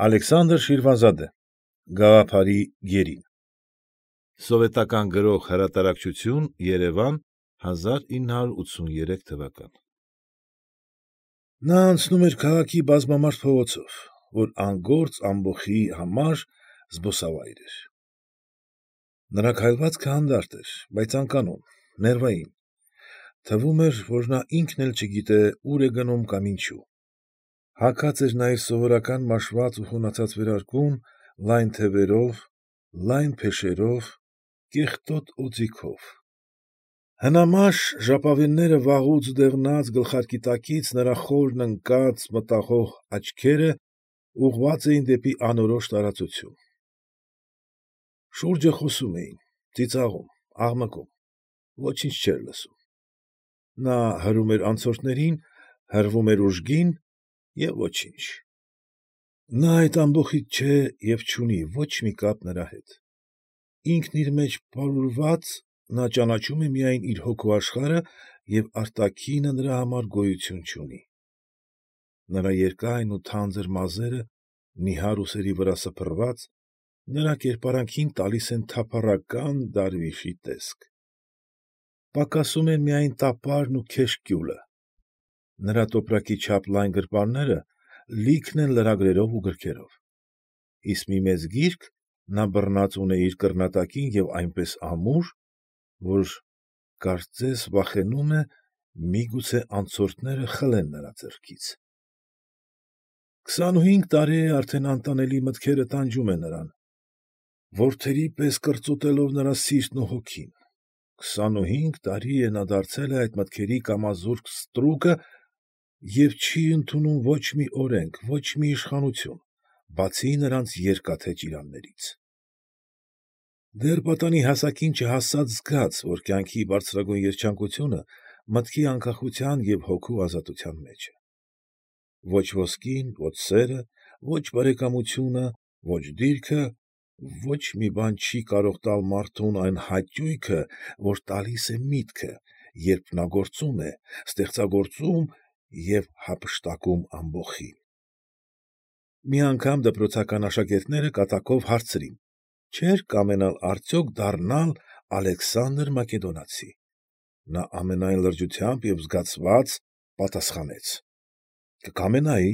Ալեքսանդր Շիրվանզադե, Գաղափարի գերին։ Սովետական գրող հրատարակչություն, Երևան, 1983 թվական։ Նա անցնում էր քաղաքի բազմամարդ փողոցով, որ անգործ ամբոխի համար զբոսավայր էր։ Նրա քայլվածքը հանդարտ էր, բայց անկանոն, ներվային, թվում էր, որ նա ինքն էլ չգիտե ուր է գնում կամ ինչու։ Հագած էր նա իր սովորական մաշված ու խունացած վերարկուն, լայն թևերով, լայն փեշերով, կեղտոտ օձիքով։ Հնամաշ ժապավենները վաղուց դեղնած գլխարկի տակից նրա խորն ընկած, մտախոհ աչքերը ուղղված էին դեպի անորոշ տարածություն։ Շուրջը խոսում էին, ծիծաղում, աղմկում, ոչինչ չէր լսում։ Նա հրում էր անցորդներին, հրվում էր ուժգին և ոչինչ։ Նա այդ ամբոխից չէ և չունի ոչ մի կապ նրա հետ։ Ինքն իր մեջ պարուրված, նա ճանաչում է միայն իր հոգու աշխարհը և արտաքինը նրա համար գոյություն չունի։ Նրա երկայն ու թանձր մազերը, նիհար ուսերի վրա սփռված, նրա կերպարանքին տալիս են թափառական դարվիշի տեսք։ Պակասում են միայն տապարն ու քեշկյուլը։ Նրա տոպրակի չափ լայն գրպանները լիքն են լրագրերով ու գրքերով։ Իսկ մի մեծ գիրք նա բռնած ունե իր կռնատակին և այնպես ամուր, որ կարծես վախենում է միգուցե անցորդները խլեն նրա ձեռքից։ 25 տարի է արդեն անտանելի մտքերը տանջում են նրան, որդերի պես կրծոտելով նրա սիրտն ու հոգին։ 25 տարի է նա դարձել է այդ մտքերի կամազուրկ ստրուկը և չի ընդունում ոչ մի օրենք, ոչ մի իշխանություն, բացի նրանց երկաթե ճիրաններից։ Դեռ պատանի հասակին չհասած զգաց, որ կյանքի բարձրագույն երջանկությունը մտքի անկախության և հոգու ազատության մեջ է։ Ոչ ոսկին, ոչ սերը, ոչ բարեկամությունը, ոչ դիրքը, ոչ մի բան չի կարող տալ մարդուն այն հաճույքը, որ տալիս է միտքը, երբ նա գործում է, ստեղծագործում և հափշտակում ամբոխին։ Մի անգամ դպրոցական աշակերտները կատակով հարցրին. չէր կամենալ արդյոք դառնալ Ալեքսանդր Մակեդոնացի։ Նա ամենայն լրջությամբ և զգացված պատասխանեց. կկամենայի,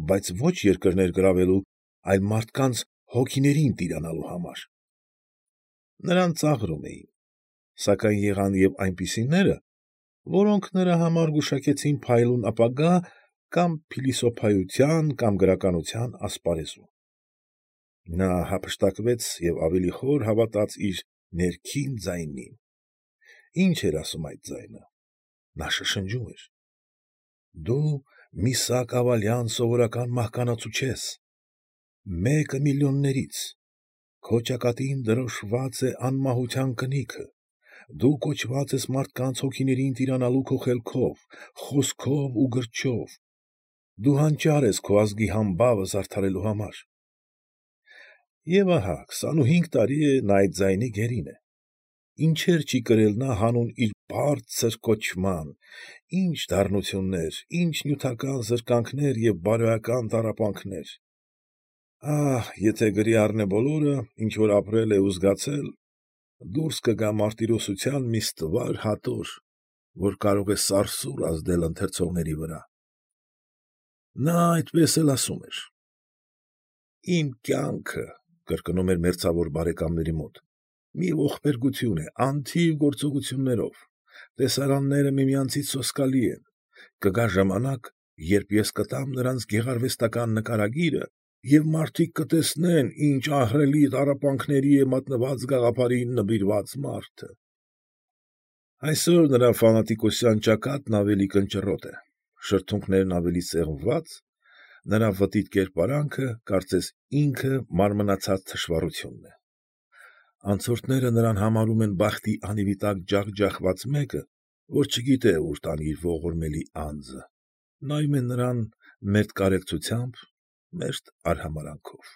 բայց ոչ երկրներ գրավելու, այլ մարդկանց հոգիներին տիրանալու համար։ Նրան ծաղրում էին, սակայն եղան և այնպիսիները, որոնք նրա համար գուշակեցին փայլուն ապագա կամ փիլիսոփայության կամ գրականության ասպարեզում։ Նա հափշտակվեց և ավելի խոր հավատաց իր ներքին ձայնին։ Ի՞նչ էր ասում այդ ձայնը։ Նա շշնջում էր. «Դու Միսակ Ավալյան սովորական մահկանացու չես, մեկը միլիոններից, քո ճակատին դրոշմված է անմահության կնիքը, դու կոչված ես մարդկանց հոգիներին տիրանալու քո խելքով, խոսքով ու գրչով, դու հանճար ես քո ազգի համբավը զարդարելու համար»։ Եվ ահա 25 տարի է նա այդ ձայնի գերին է։ Ինչեր չի կրել նա հանուն իր բարձր կոչման, ինչ դառնություններ, ինչ նյութական զրկանքներ և բարոյական տառապանքներ։ Ահ, եթե գրի առնե բոլորը, ինչ որ ապրել է ու զգացել, դուրս կգա մարտիրոսության մի ստվար հատոր, որ կարող է սարսուռ ազդել ընթերցողների վրա։ Նա այդպես էլ ասում էր. «Իմ կյանքը, ֊ կրկնում էր մերձավոր բարեկամների մոտ, ֊ մի ողբերգություն է անթիվ գործողություններով, տեսարանները միմյանցից սոսկալի են, կգա ժամանակ, երբ ես կտամ նրանց գեղարվեստական նկարագիրը, և մարդիկ կտեսնեն, ինչ ահռելի տառապանքների է մատնված գաղափարին նվիրված մարդը»։ Այսօր նրա ֆանատիկոսության ճակատն ավելի կնճռոտ է, շրթունքներն ավելի սեղմված, նրա վտիտ կերպարանքը, կարծես ինքը մարմնացած թշվառությունն է։ Անցորդները նրան համարում են բախտի անիվիտակ ջախջախված մեկը, որ չգիտե ուր տանի իր ողորմելի անձը, նայում են նրան մերթ կարեկցությամբ, մերթ արհամարհանքով։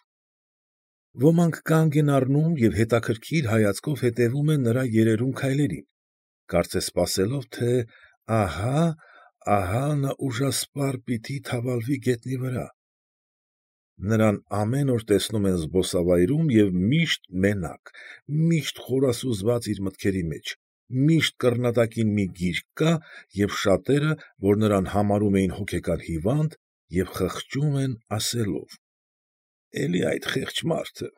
Ոմանք կանգ են առնում և հետաքրքիր հայացքով հետևում են նրա երերուն քայլերին, կարծես սպասելով, թե ահա նա ուժասպառ պիտի թավալվի գետնի վրա։ Նրան ամեն օր տեսնում են զբոսավայրում և միշտ մենակ, միշտ խորասուզված իր մտքերի մեջ, միշտ կռնատակին մի գիրք կա և շատերը, որ նրան համարում էին հոգեկան հիվանդ և խղճում են ասելով. «Էլի այդ խեղճ մարդը»…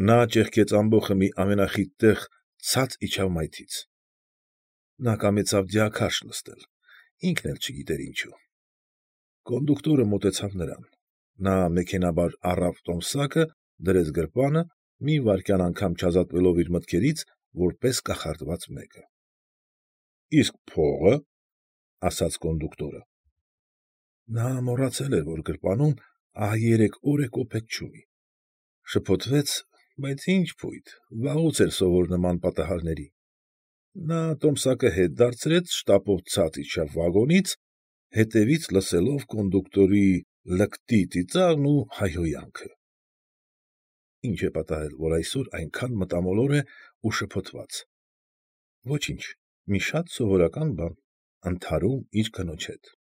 Նա ճեղքեց ամբոխը մի ամենախիտ տեղ, ցած իջավ մայթից։ Նա կամեցավ դիաքարշ նստել, ինքն էլ չգիտեր ինչու։ Կոնդուկտորը մոտեցավ նրան։ Նա մեքենայաբար առավ տոմսակը, դրեց գրպանը, մի վայրկյան անգամ չազատվելով իր մտքերից, որպես կախարդված մեկը։ ֊ Իսկ փո՞ղը, ֊ ասաց կոնդուկտորը։ Նա մոռացել էր, որ գրպանում ահա 3 օր է կոպեկ չունի։ Շփոթվեց, բայց ի՞նչ փույթ, վաղուց էր սովոր նման պատահարների։ Նա տոմսակը հետ դարձրեց, շտապով ցած իջավ վագոնից, հետևից լսելով կոնդուկտորի լկտի ծիծաղն ու հայհոյանքը։ Ի՞նչ է պատահել, որ այսօր այնքան մտամոլոր է ու շփոթված։ Ոչինչ, մի շատ սովորական բան, ընդհարում իր կնոջ հետ։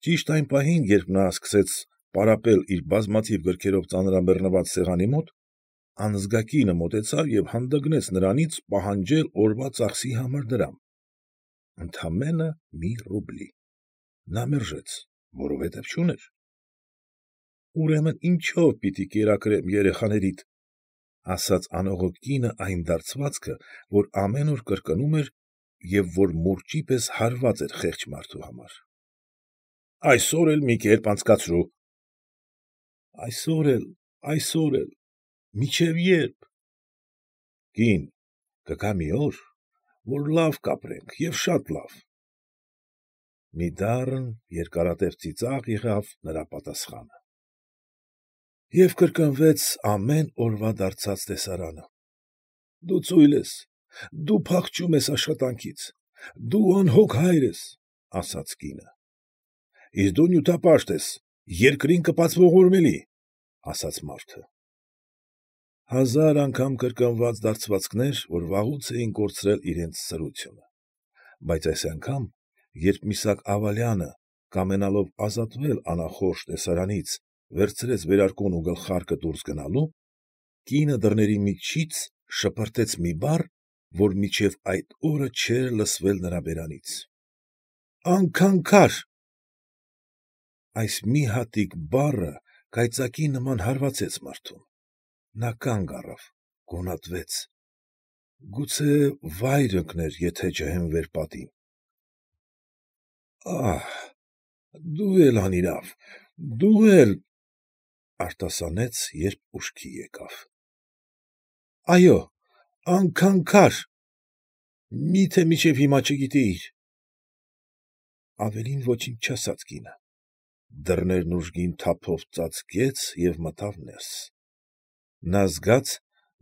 Ճիշտ այն պահին, երբ նա սկսեց պարապել իր բազմաթիվ գրքերով ծանրաբեռնված սեղանի մոտ, անզգա կինը մոտեցավ և հանդգնեց նրանից պահանջել օրվա ծախսի համար դրամ։ Ընդամենը մի ռուբլի… Նա մերժեց, որովհետև չուներ։ Ուրեմն ինչո՞վ պիտի կերակրեմ երեխաներիդ, ֊ ասաց անողոք կինը այն դարձվածքը, որ ամեն օր կրկնում էր և որ մուրճի պես հարված էր խեղճ մարդու համար։ ֊ Այսօր էլ մի կերպ անցկացրու։ ֊ Այսօր էլ, մինչև ե՞րբ։ ֊ Կին, կգա մի օր, որ լավ կապրենք և շատ լավ… Մի դառն, երկարատև ծիծաղ եղավ նրա պատասխանը։ Եվ կրկնվեց ամեն օրվա դարձած տեսարանը… Դու ծույլ ես, դու փախչում ես աշխատանքից, դու անհոգ հայր ես, ֊ ասաց կինը։ ֊ Իսկ դու նյութապաշտ ես, երկրին կպածվող էլի, ֊ ասաց մարդը։ 1000 անգամ կրկնված դարձվածքներ, որ վաղուց էին կորցրել իրենց սրությունը… Բայց այս անգամ, երբ Միսակ Աղալյանը, կամենալով ազատվել անախորժ տեսարանից, վերցրեց վերարկուն ու գլխարկը դուրս գնալու, կինը դռների միջից շպրտեց մի բառ, որ մինչև այդ օրը չէր լսվել նրա բերանից… Անկանկար… Այս մի հատիկ բառը կայծակի նման հարվածեց մարդուն… Նա կանգ առավ, գոնատվեց… Գուցե վայր ընկներ, եթե չհենվեր պատին… Ա՜հ, դու էլ անիրավ, դու էլ… արտասանեց, երբ ուշքի եկավ… Այո, անկանկար… Մի՞թե մինչև հիմա չգիտեիր… Ավելին ոչինչ չասաց կինը… Դռներն ուժգին թափով ծածկեց և մտավ ներս… Նա զգաց,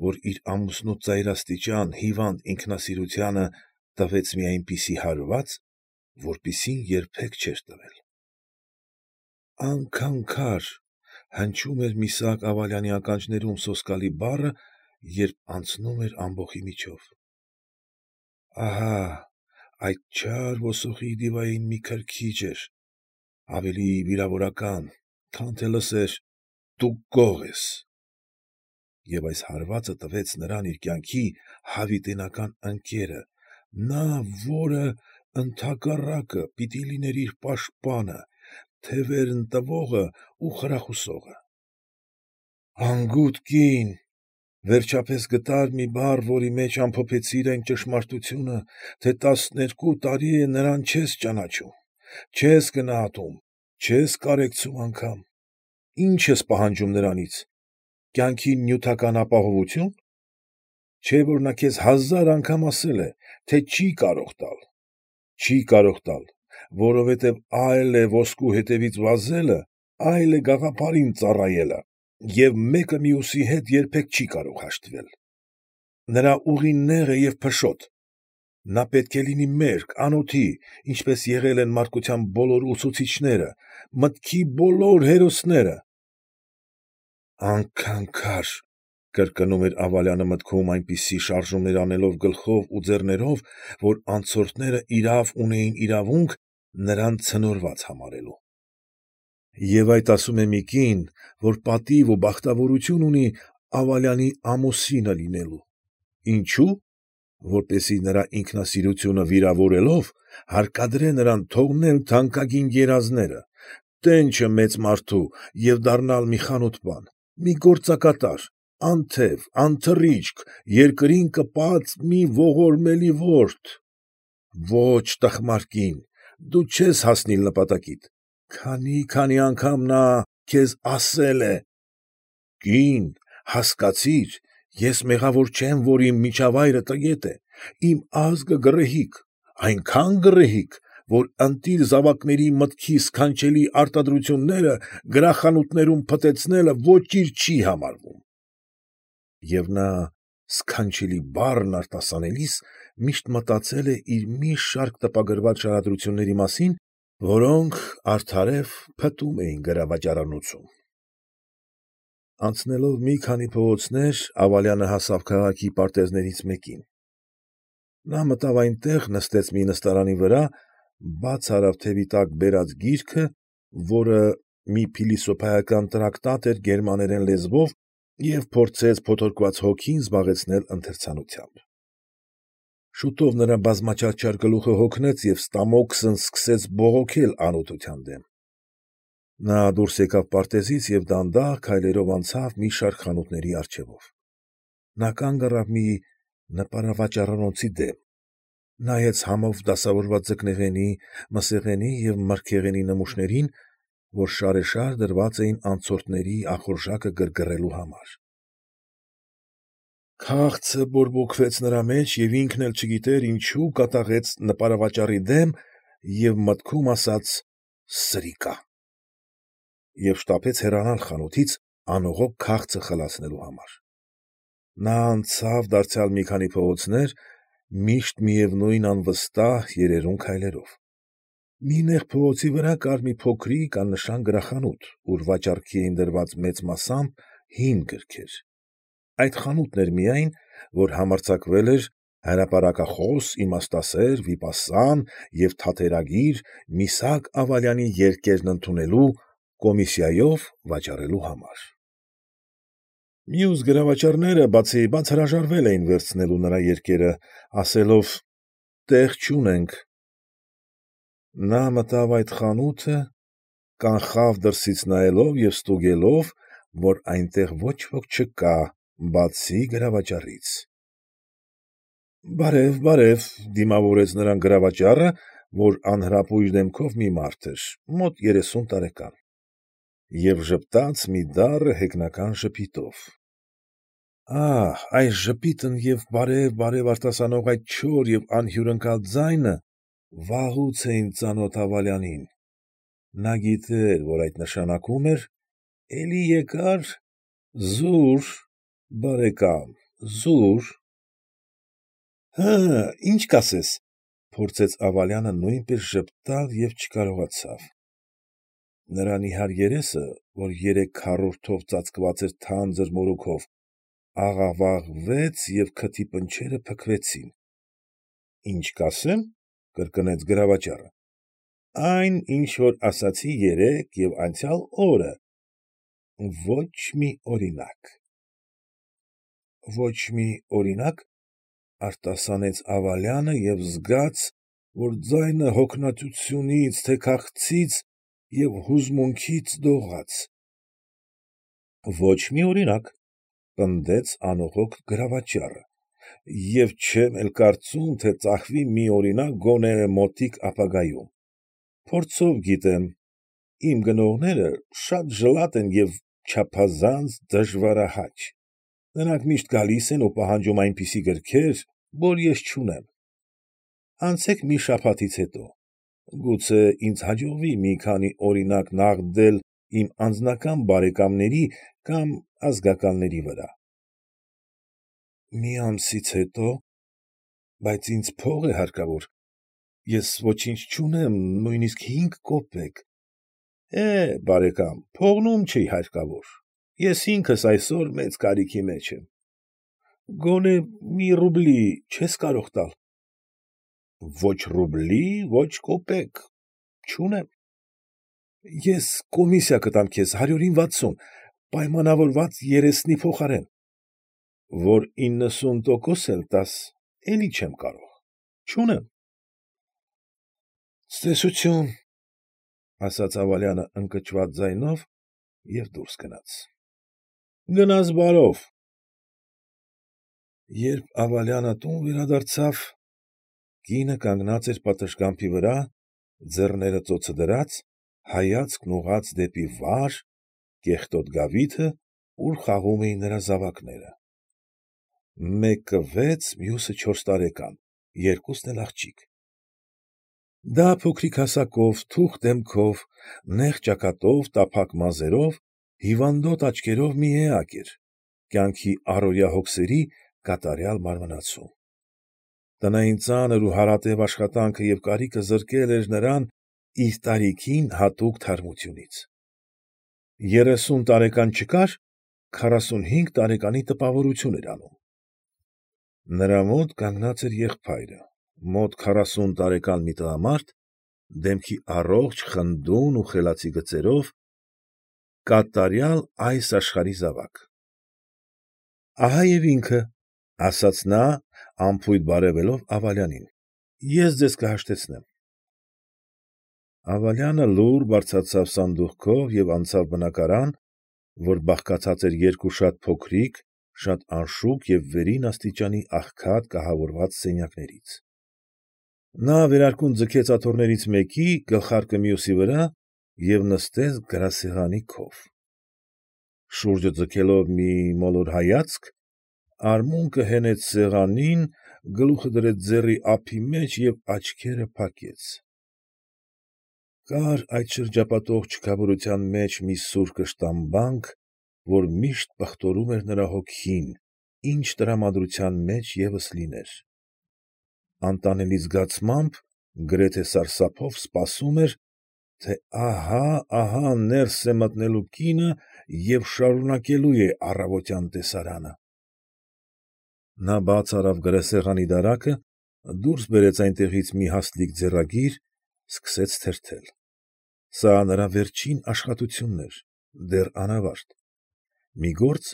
որ իր ամուսնու ծայրաստիճան, հիվանդ ինքնասիրությանը տվեց մի այնպիսի հարված, որպիսին երբեք չէր տվել… Անկանկար… հնչում էր Միսակ Աղալյանի ականջներում սոսկալի բառը, երբ անցնում էր ամբոխի միջով… Ահա, այդ չար ոսոխի դիվային մի քրքիջ էր, ավելի վիրավորական, քան թե լսեր. «Դու գող ես»… Եվ այս հարվածը տվեց նրան իր կյանքի հավիտենական ընկերը, նա, որը, ընդհակառակը, պիտի լիներ իր պաշտպանը, թևերն տվողը ու խրախուսողը… Անգութ կին… Վերջապես գտար մի բառ, որի մեջ ամփոփեցիր այն ճշմարտությունը, թե 12 տարի է նրան չես ճանաչում, չես գնահատում, չես կարեկցում անգամ… Ի՞նչ ես պահանջում նրանից… կյանքի նյութական ապահովությո՞ւն… Չէ՞ որ նա քեզ 1000 անգամ ասել է, թե չի կարող տալ… Չի կարող տալ, որովհետև այլ է ոսկու հետևից վազելը, այլ է գաղափարին ծառայելը և մեկը մյուսի հետ երբեք չի կարող հաշտվել… Նրա ուղին նեղ է և փշոտ… Նա պետք է լինի մերկ, անօթի, ինչպես եղել են մարդկության բոլոր ուսուցիչները, մտքի բոլոր հերոսները… Անկանկար… կրկնում էր Աղալյանը մտքում, այնպիսի շարժումներ անելով գլխով ու ձեռներով, որ անցորդները իրավ ունեին իրավունք նրան ցնորված համարելու… Եվ այդ ասում է մի կին, որ պատիվ ու բախտավորություն ունի Ավալյանի ամուսինը լինելու։ Ինչո՞ւ։ Որպեսզի նրա ինքնասիրությունը վիրավորելով, հարկադրե նրան թողնել թանկագին երազները, տենչը մեծ մարդու և դառնալ մի խանութպան, մի գործակատար, անթև, անթռիչք, երկրին կպած մի ողորմելի որդ։ Ո՛չ, տխմար կին, դու չես հասնիլ նպատակիդ, քանի՛, անգամ նա քեզ ասել է. «Կի՛ն, հասկացի՛ր, ես մեղավոր չեմ, որ իմ միջավայրը տգետ է, իմ ազգը գռեհիկ, այնքան գռեհիկ, որ ընտիր զավակների մտքի սքանչելի արտադրությունները գրախանութներում փտեցնելը ոչինչ չի համարվում»։ Եվ նա սքանչելի բառն արտասանելիս միշտ մտածել է իր մի շարք տպագրված շարադրությունների մասին, որոնք արդարև փտում էին գրավաճառանոցում։ Անցնելով մի քանի փողոցներ, Ավալյանը հասավ քաղաքի պարտեզներից մեկին։ Նա մտավ այնտեղ, նստեց մի նստարանի վրա, բաց արավ թևի տակ բերած գիրքը, որը մի փիլիսոփայական տրակտատ էր գերմաներեն լեզվով, և փորձեց փոթորկված հոգին զբաղեցնել ընթերցանությամբ։ Շուտով նրա բազմաչարչար գլուխը հոգնեց և ստամոքսն սկսեց բողոքել անօթության դեմ։ Նա դուրս եկավ պարտեզից և դանդաղ քայլերով անցավ մի շարք խանութների առջևով։ Նա կանգ առավ մի նպարավաճառանոցի դեմ, նայեց համով դասավորված ձկնեղենի, մսեղենի և մրգեղենի նմուշներին, որ շարեշար դրված էին անցորդների ախորժակը գրգռելու համար։ Քաղցը բորբոքվեց նրա մեջ և ինքն էլ չգիտեր ինչու կատաղեց նպարավաճառի դեմ և մտքում ասաց. «Սրիկա» և շտապեց հեռանալ խանութից անողոք քաղցը խլացնելու համար։ Նա անցավ դարձյալ մի քանի փողոցներ, միշտ միևնույն անվստահ, երերուն քայլերով։ Մի նեղ փողոցի վրա կար մի փոքրիկ աննշան գրախանութ, ուր վաճառքի էին դրված մեծ մասամբ հին գրքեր։ Այդ խանութն էր միայն, որ համարձակվել էր հրապարակախոս, իմաստասեր, վիպասան և թատերագիր Միսակ Ավալյանի երկերն ընդունելու, կոմիսիայով վաճառելու համար։ Մյուս գրավաճառները բացիբաց հրաժարվել էին վերցնելու նրա երկերը, ասելով. «Տեղ չունենք»։ Նա մտավ այդ խանութը, կանխավ դրսից նայելով և ստուգելով, որ այնտեղ ոչ ոք չկա, բացի գրավաճառից։ «Բարև, բարև», ֊ դիմավորեց նրան գրավաճառը, որ անհրապույր դեմքով մի մարդ էր, մոտ 30 տարեկան, և ժպտաց մի դառը հեգնական ժպիտով։ Ահ, այս ժպիտն և բարև, բարև արտասանող այդ չոր և անհյուրընկալ ձայնը վաղուց էին ծանոթ Ավալյանին։ Նա գիտեր, որ այդ նշանակում էր. «Էլի եկա՞ր, զուր, բարեկամ, զուր»։ Հը՛, ի՞նչ կասես, ֊ փորձեց Ավալյանը նույնպես ժպտալ և չկարողացավ։ Նրա նիհար երեսը, որ 3 քառորդով ծածկված էր թանձր մորուքով, աղավաղվեց և քթի պնչերը փքվեցին։ ֊ Ի՞նչ կասեմ, ֊ կրկնեց գրավաճառը։ ֊ Այն, ինչ որ ասացի երեկ և անցյալ օրը, ոչ մի օրինակ։ ֊ Ոչ մի օրինակ, ֊ արտասանեց Ավալյանը և զգաց, որ ձայնը հոգնածությունից թե քաղցից և հուզմունքից դողաց։ ֊ Ոչ մի օրինակ, ֊ պնդեց անողոք գրավաճառը, ֊ և չեմ էլ կարծում, թե ծախվի մի օրինակ գոնե մոտիկ ապագայում։ Փորձով գիտեմ, իմ գնողները շատ ժլատ են և չափազանց դժվարահաճ։ Նրանք միշտ գալիս են ու պահանջում այնպիսի գրքեր, որ ես չունեմ։ Անցեք մի շաբաթից հետո, գուցե ինձ հաջողվի մի քանի օրինակ նաղդել իմ անձնական բարեկամների կամ ազգականների վրա։ ֊ Մի ամսից հետո, բայց ինձ փող է հարկավոր, ես ոչինչ չունեմ, նույնիսկ 5 կոպեկ։ ֊ Բարեկամ, փողն ում չի հարկավոր, ես ինքս այսօր մեծ կարիքի մեջ եմ։ Գոնե մի ռուբլի չե՞ս կարող տալ։ ֊ Ո՛չ ռուբլի, ո՛չ կոպեկ, չունեմ։ Ես կոմիսիա կտամ քեզ 160, պայմանավորված երեսնի փոխարեն։ Որ 90% էլ տաս, էլի չեմ կարող, չունեմ։ Ցտեսություն, ֊ ասաց Ավալյանը ընկճված ձայնով և դուրս գնաց։ Գնաս բարով։ Երբ Ավալյանը տուն վերադարձավ, կինը կանգնած էր պատշգամբի վրա, ձեռները ծոցը դրած, հայացքն ուղղած դեպի վար, կեղտոտ գավիթը, ուր խաղում էին նրա զավակները. մեկը 6, մյուսը 4 տարեկան, երկուսն էլ աղջիկ։ Դա փոքրիկ հասակով, թուխ դեմքով, նեղ ճակատով, տափակ մազերով, հիվանդոտ աչքերով մի էակ էր, կյանքի առօրյա հոգսերի կատարյալ մարմնացու։ Տնային ծանր ու հարատև աշխատանքը և կարիքը զրկել էր նրան իր տարիքին հատուկ թարմությունից։ 30 տարեկան չկար, 45 տարեկանի տպավորություն էր անում։ Նրա մոտ կանգնած էր եղբայրը, մոտ 40 տարեկան մի տղամարդ, դեմքի առողջ, խնդուն ու խելացի գծերով, կատարյալ այս աշխարհի զավակ։ ֊ Ահա և ինքը, ֊ ասաց նա, անփույթ բարևելով Ավալյանին, ֊ ես ձեզ կհաշտեցնեմ։ Ավալյանը լուռ բարձրացավ սանդուղքով և անցավ բնակարան, որ բաղկացած էր երկու շատ փոքրիկ, շատ անշուք և վերին աստիճանի աղքատ կահավորված սենյակներից։ Նա վերարկուն ձգեց աթոռներից մեկի, գլխարկը մյուսի վրա և նստեց գրասեղանի քով։ Շուրջը ձգելով մի մոլոր հայացք, արմունկը հենեց սեղանին, գլուխը դրեց ձեռքի ափի մեջ և աչքերը փակեց։ Կար այդ շրջապատող չքավորության մեջ մի սուր կշտամբանք, որ միշտ պղտորում էր նրա հոգին, ինչ տրամադրության մեջ ևս լիներ։ Անտանելի զգացմամբ, գրեթե սարսափով սպասում էր, թե ահա ներս է մտնելու կինը և շարունակելու է առավոտյան տեսարանը։ Նա բաց արավ գրասեղանի դարակը, դուրս բերեց այնտեղից մի հաստլիկ ձեռագիր, սկսեց թերթել։ Սա նրա վերջին աշխատությունն էր, դեռ անավարտ, մի գործ,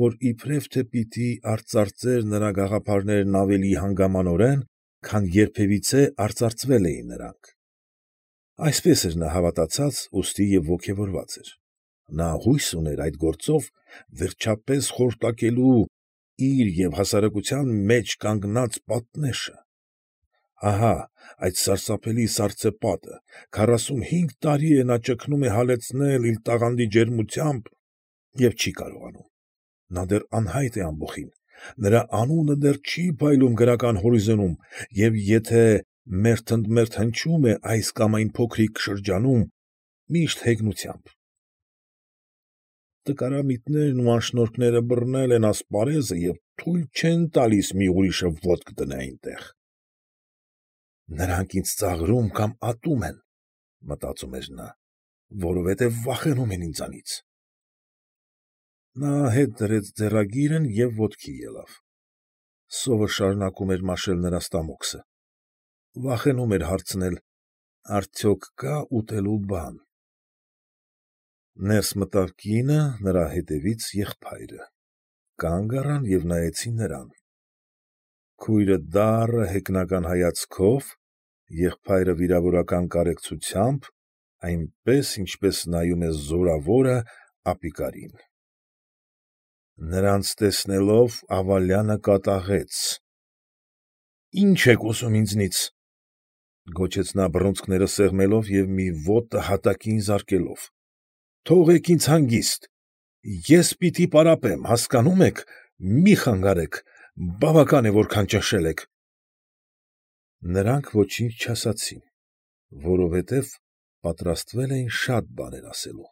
որ իբրև թե պիտի արծարծեր նրա գաղափարներն ավելի հանգամանորեն, քան երբևիցե արծարծվել էին նրանք։ Այսպես էր նա հավատացած, ուստի և ոգևորված էր։ Նա հույս ուներ այդ գործով վերջապես խորտակելու իր և հասարակության մեջ կանգնած պատնեշը։ Ահա այդ սարսափելի սառցեպատը, 45 տարի է նա ճգնում է հալեցնել իր տաղանդի ջերմությամբ և չի կարողանում։ Նա դեռ անհայտ է ամբոխին, նրա անունը դեռ չի փայլում գրական հորիզոնում և եթե մերթ ընդ մերթ հնչում է այս կամ այն փոքրիկ շրջանում, միշտ հեգնությամբ։ Տկարամիտներն ու անշնորհքները բռնել են ասպարեզը և թույլ չեն տալիս մի ուրիշը ոտք դնել այնտեղ։ Նրանք ինձ ծաղրում կամ ատում են, մտածում էր նա, որովհետև վախենում են ինձանից։ Նա հետ դրեց ձեռագիրն և ոտքի ելավ։ Սովը շարունակում էր մաշել նրա ստամոքսը։ Վախենում էր հարցնել. արդյոք կա՞ ուտելու բան։ Ներս մտավ կինը, նրա հետևից եղբայրը։ Կանգ առան և նայեցին նրան։ Քույրը դառը հեգնական հայացքով, եղբայրը վիրավորական կարեկցությամբ, այնպես, ինչպես նայում է զորավորը ապիկարին։ Նրանց տեսնելով Ավալյանը կատաղեց։ ֊ Ի՞նչ եք ուզում ինձնից, ֊ գոչեց նա բռունցքները սեղմելով և մի ոտը հատակին զարկելով։ ֊ Թողեք ինձ հանգիստ, ես պիտի պարապեմ, հասկանո՞ւմ եք, մի խանգարեք, բավական է, որքան ճնշել եք։ Նրանք ոչինչ չասացին, որովհետև պատրաստվել էին շատ բաներ ասելու։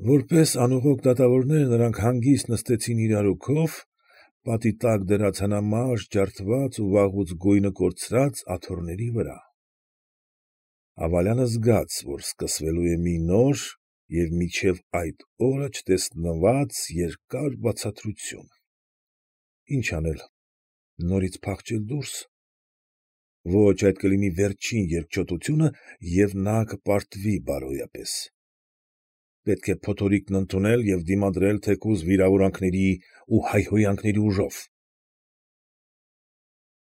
Որպես անուղոկ դատավորներ նրանք հանգիստ նստեցին իրարու քով, պատի տակ դրած հնամաշ, ջարդված ու վաղուց գույնը կորցրած աթոռների վրա։ Ավալյանը զգաց, որ սկսվելու է մի նոր և մինչև այդ օրը չտեսնված երկար բացատրություն։ Ի՞նչ անել, նորից փախչե՞լ դուրս։ Ոչ, այդ կլինի վերջին երկչոտությունը, և նա կպարտվի բարոյապես։ Պետք է փոթորիկն ընդունել և դիմադրել թեկուզ վիրավորանքների ու հայհոյանքների ուժով։